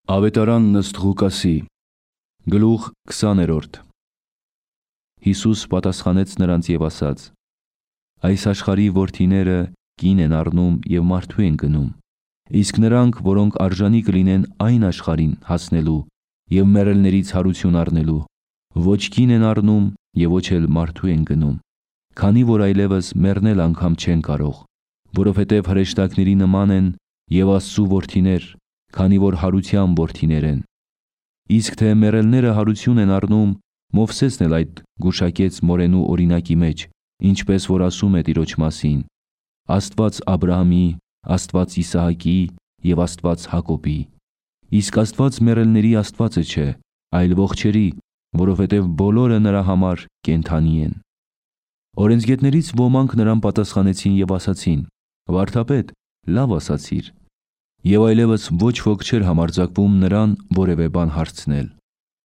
Ավետարան ըստ Ղուկասի, գլուխ 20-րդ։ Հիսուս պատասխանեց նրանց և ասաց. այս աշխարհի որդիները կին են առնում և մարդու են գնում, իսկ նրանք, որոնք արժանի կլինեն այն աշխարհին հասնելու և մեռելներից հարություն առնելու, ոչ կին են առնում և ոչ էլ մարդու են գնում, քանի որ այլևս մեռնել անգամ չեն կարող, որովհետև հրեշտակների նման են և Աստծու որդիներ, քանի որ հարության որդիներ են։ Իսկ թե մեռելները հարություն են առնում, Մովսեսն էլ այդ գուշակեց մորենու օրինակի մեջ, ինչպես որ ասում է Տիրոջ մասին. Աստված Աբրահամի, Աստված Իսահակի և Աստված Հակոբի։ Իսկ Աստված մեռելների Աստվածը չէ, այլ ողջերի, որովհետև բոլորը նրա համար կենդանի են։ Օրենսգետներից ոմանք նրան պատասխանեցին և ասացին. «Վարդապետ, լավ ասացիր»։ Եվ այլևս ոչ ոք չէր համարձակվում նրան որևէ բան հարցնել։